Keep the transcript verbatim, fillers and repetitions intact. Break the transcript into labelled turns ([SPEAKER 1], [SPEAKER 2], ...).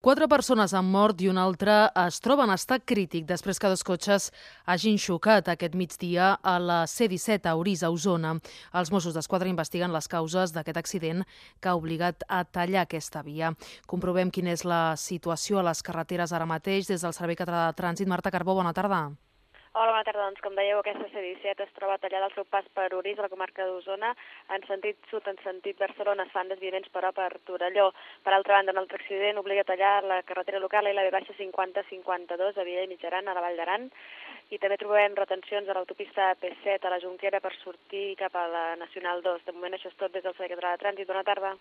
[SPEAKER 1] Quatre persones han mort i una altra es troba en estat crític després que dos cotxes hagin xocat aquest migdia a la C disset a Orís, a Osona. Els Mossos d'Esquadra investiguen les causes d'aquest accident que ha obligat a tallar aquesta via. Comprovem quina és la situació a les carreteres ara mateix des del Servei Català de Trànsit. Marta Carbó, bona tarda.
[SPEAKER 2] Hola, bona tarda. Doncs, com dèieu, aquesta C disset es troba tallada al seu pas per Orís, a la comarca d'Osona. En sentit sud, en sentit Barcelona, es fan desviaments, però per Torelló. Per altra banda, un altre accident obliga a tallar la carretera local i la B cinquanta cinquanta-dos a Viella i Mitjaran, a la Vall d'Aran. I també trobem retencions a l'autopista P set a la Jonquera per sortir cap a la Nacional dos. De moment això és tot des del Servei Català de Trànsit. Bona tarda.